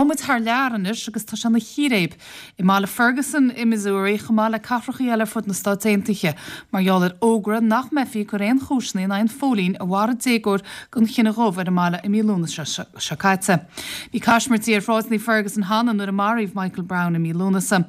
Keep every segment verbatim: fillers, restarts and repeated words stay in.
Gabhfaidh muid thar lear anois agus tá sé ina chíréib i mbaile Ferguson i Missouri chomh maith le cathracha eile ar fud na Stát Aontaithe mar gheall ar fhógra nach mbeifí ag cur aon chúiseanna in aghaidh an phóilín a mharaigh déagóir den chine dhubh ar an mbaile i mí Lúnasa seo caite. Bhí caismirtí ar shráideanna Ferguson cheana nuair a maraíodh Michael Brown i mí Lúnasa.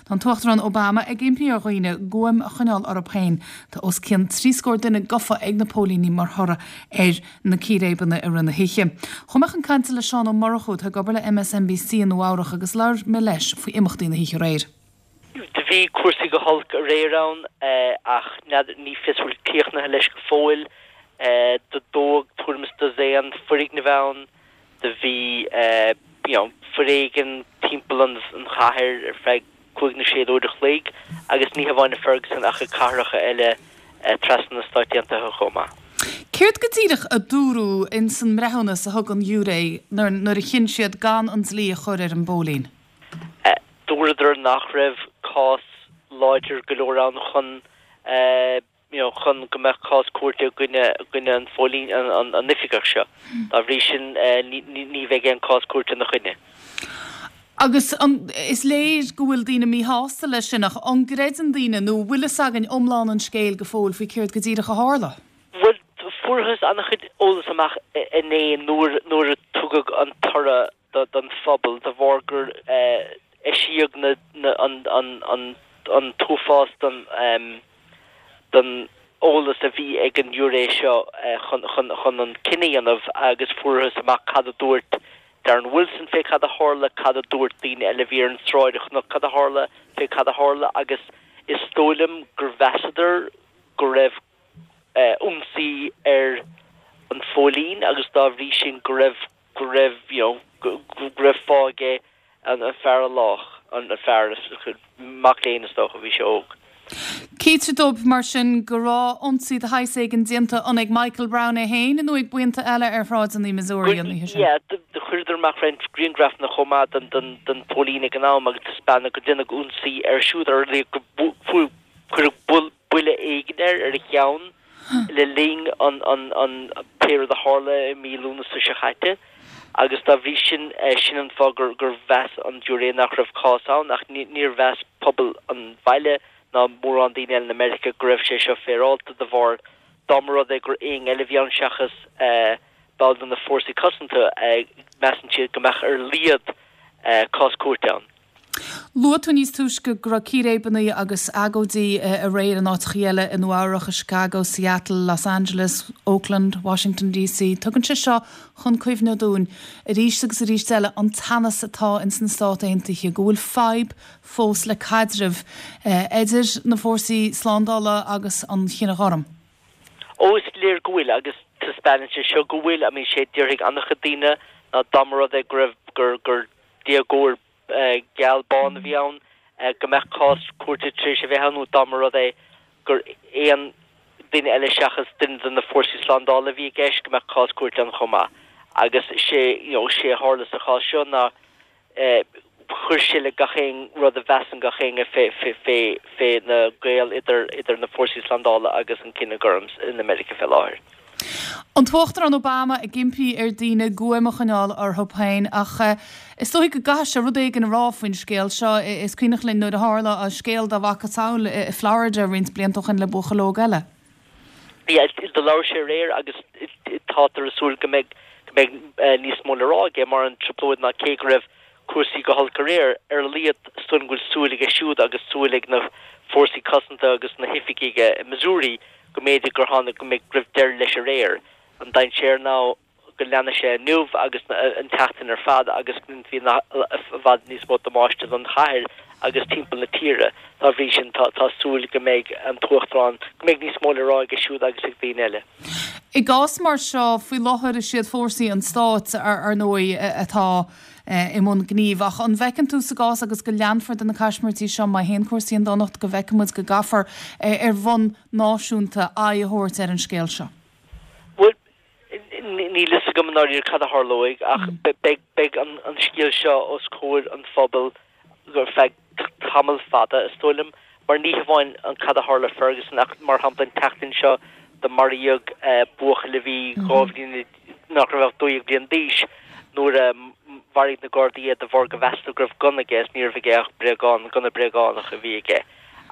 Tá an tUachtarán Obama ag impí ar dhaoine guaim a choinneáil orthu féin tá os cionn trí scór duine gafa ag na póilíní mar thoradh ar na círéibeanna i rith na hoíche. Chuaigh mé chun cainte le Seán Ó Murchú atá ag obair le MSNBC in Nua-Eabhrac agus labhair mé leis faoi imeachtaí na hoíche aréir. Do bhí cúrsaí go holc aréir ann ach ní fios bhfuil críochnaithe leis go fóill do dódh tuairim is dosaen foirgneamh ann do bhí you know, foréigean timpeall an an chathair ar feadh cúig nó sé uair a chloig agus ní hamháin i Ferguson ach i cathracha eile trasna na Stáit Aontaithe chomh maith. Céard go díreach a dúradh in san mbreithiúnas a thug an giúiré nuair a chinn siad gan an dlí a chur ar an bpóilín? Dúradar nach raibh cás láidir go leor ann chun you know, chun go mbeadh cás cúirte gcoinne gcoinne an phóilín an, an, an oifigeach seo. Dá bhrí sin ní, ní bheidh aon cás cúirte ina choinne. Agus an, is léir go bhfuil daoine míshásta leis sin ach an gcreideann daoine nó bhfuil fhios againn iomlán an scéil go fóill faoi céard go díreach a tharla. Well fuarthas an-chuid eolas amach inné nuair nuair a tugadh an toradh don phobal de bharr gur eisíodh na, na, an, an, an, an t-uafás don, um, don eolas a bhí ag an ghiúiré seo chun, chun, chun an cinneadh a dhéanamh agus fuarthas amach cad a dúirt Darren Wilson fé cad a tharla, cad a dúirt daoine eile bhí ar an tsráid a chonaic cad a tharla fé cad a tharla agus is dóigh liom gur mheasadar go raibh ionsaí ar an phóilín agus dá bhrí sin go raibh go raibh you know, go, go raibh fáth aige an, an fear a lách an, an fear mac léinn is dócha bhí sé óg. Cítear dóibh mar sin go raibh ionsaí de shaghas éigin déanta an ag Michael Brown é féin nó ag buíonta eile ar shráideanna Missouri an oíche sin. Yeah, do chuireadar amach roinnt grianghrafanna chomh maith den den den póilín ag an am agus taispeánadh go ndeineadh ionsaí air siúd ar go cuireadh buille éigin air ar a cheann le linn an an an pé rud a tharla i mí Lúnasa seo caite agus dá bhrí sin sin an fáth gur gur mheas an giúiré nach raibh cás ann ach níor mheas pobal an bhaile ná mórán daoine eile in America go raibh sé seo féaráilte de bharr dá mba rud é gur éinne eile a bhí ann seachas ball de na fórsaí cosanta measann siad go mbeadh ar a laghad cás cúirte ann. Luaigh tú níos túisce go raibh círéibeanna agus agóidí aréir in áiteacha eile i Nua-Eabhrac, i Chicago, Seattle, Los Angeles, Oakland, Washington DC. Tugann sé seo chun cuimhne dúinn arís agus arís eile an teannas atá ins na Stáit Aontaithe, go bhfuil fadhb fós le caidreamh idir na fórsaí slándála agus an chine ghorm. Ó is léir go bhfuil agus taispeánann sé seo go bhfuil, I mean sé déarfaidh an-chuid daoine ná dá mba rud é go raibh gur gur déagóir geal bán a bhí ann go mbeadh cás cúirte tar éis a bheith ann nó dá mba rud é gur aon duine eile seachas duine de na fórsaí slándála a bhí i gceist go mbeadh cás cúirte ann chomh maith. Agus sé you know, sé a tharla sa chás seo ná chuir sé le gach aon rud a mheasann gach éinne fé fé fé fé na gaol idir idir na fórsaí slándála agus an cine gorm in America fé láthair. An tUachtarán Obama ag impí ar daoine guaim a choinneáil orthu féin ach is dóigh go gcaithfidh sé rud éigin a rá faoin scéal seo is cuimhneach linn nuair a tharla an scéal dá mhacasamhail i Florida roinnt blianta ó shin le buachaill óg eile. Yeah, do labhair sé aréir agus táthar ag súil go mbeidh go mbeidh níos mó le rá aige mar an trioblóid ná cé go raibh cúrsaí go holc aréir ar a laghad is dóigh go bhfuil súil aige siúd agus súil ag na fórsaí cosanta agus na hoifigigh i Missouri go mb'fhéidir gur tháinig go mbeidh raibh deireadh leis aréir. An dainséar ná go leanfaidh sé inniu agus an tseachtain ar fad agus bhí i bhfad níos mó damáiste don chathair agus timpeall na tíre. Dá bhrí sin tá tá súil go mbeidh an tUachtarán go mbeidh níos mó le rá aige siúd agus ag daoine eile. I gcás mar seo faoi láthair is iad fórsaí an stáit ar ar ndóigh atá i mbun gnímh ach an bhfeiceann tú sa gcás agus go leanfar de na caismirtí seo má théann cúrsaí chun donachta go bhfeicfidh muid go gcaithfear ar bhonn náisiúnta aghaidh a thabhairt ar an scéal seo. Bhuel níl fhios agam i ndáiríre cad a tharlóidh ach beidh beidh an an scéal seo os comhair an phobail ar feadh tamall fada is dóigh liom mar ní hamháin an cad a tharla Ferguson ach mar shampla an tseachtain seo do maraíodh buachaill a bhí dhá bhliain nach raibh ach dó dhéag bliain d'aois nuair a Mharaigh na Gardaí é de bharr go mheasadh go raibh gunna aige is ní raibh aige ach bréagán, gunna bréagánach a bhí aige.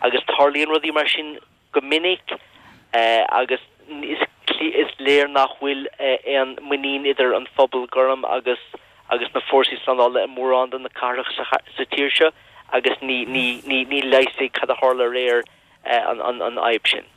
Agus tarlaíonn rudaí mar sin go minic agus is is léir nach bhfuil aon muinín idir an phobal gorm agus agus na fórsaí slándála i mórán de na cathracha sa tír seo agus ní ní ní ní leigheasfaidh cad a tharla aréir an an an fhadhb sin.